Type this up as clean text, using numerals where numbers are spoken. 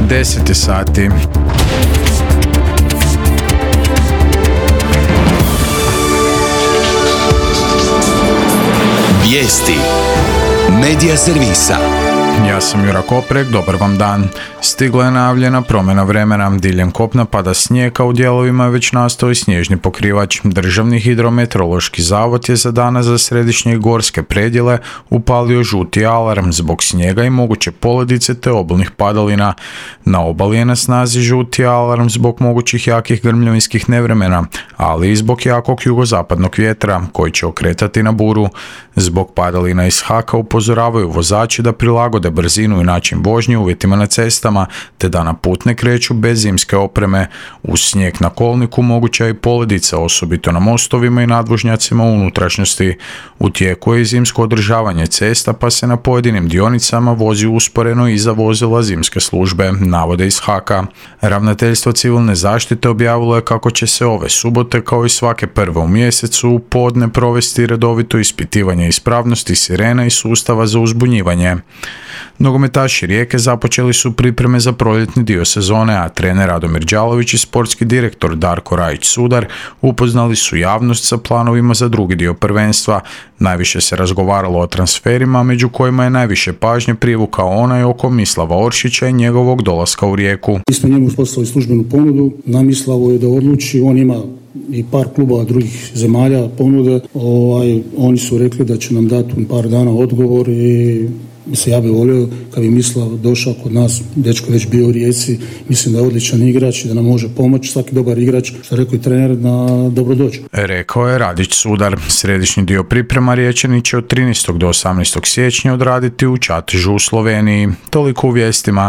10 sati. Vijesti Medija servisa. Ja sam Jura Koprek, dobar vam dan. Stigla je najavljena promjena vremena. Diljem kopna pada snijeg, a u dijelovima je već nastao i snježni pokrivač. Državni hidrometeorološki zavod je za danas za središnje i gorske predjele upalio žuti alarm zbog snijega i moguće poledice te obilnih padalina. Na obali je na snazi žuti alarm zbog mogućih jakih grmljavinskih nevremena, ali i zbog jakog jugozapadnog vjetra koji će okretati na buru. Zbog padalina iz Haka upozoravaju vozači da prilagode brzinu i način vožnje uvjetima na cestama, te da na put ne kreću bez zimske opreme. Uz snijeg na kolniku moguća je i poledica, osobito na mostovima i nadvožnjacima u unutrašnjosti. U tijeku je i zimsko održavanje cesta, pa se na pojedinim dionicama vozi usporeno iza vozila zimske službe, navode iz Haka. Ravnateljstvo civilne zaštite objavilo je kako će se ove subote, kao i svake prve u mjesecu, u podne provesti redovito ispitivanje ispravnosti sirena i sustava za uzbunjivanje. Nogometaši Rijeke započeli su pripreme za proljetni dio sezone, a trener Radomir Đalović i sportski direktor Darko Rajić-Sudar upoznali su javnost sa planovima za drugi dio prvenstva. Najviše se razgovaralo o transferima, među kojima je najviše pažnje privukao onaj oko Mislava Oršića i njegovog dolaska u Rijeku. Mi smo njemu poslali službenu ponudu, na Mislavu je da odluči, on ima i par klubova drugih zemalja ponude. Oni su rekli da će nam dati par dana odgovor i ja bih volio kad bi Mislav došao kod nas, dečko već bio u Rijeci, mislim da je odličan igrač i da nam može pomoći, svaki dobar igrač, što rekao i trener, da dobro dođe. Rekao je Radić-Sudar. Središnji dio priprema Riječani će od 13. do 18. siječnja odraditi u Čatežu u Sloveniji. Toliko u vijestima.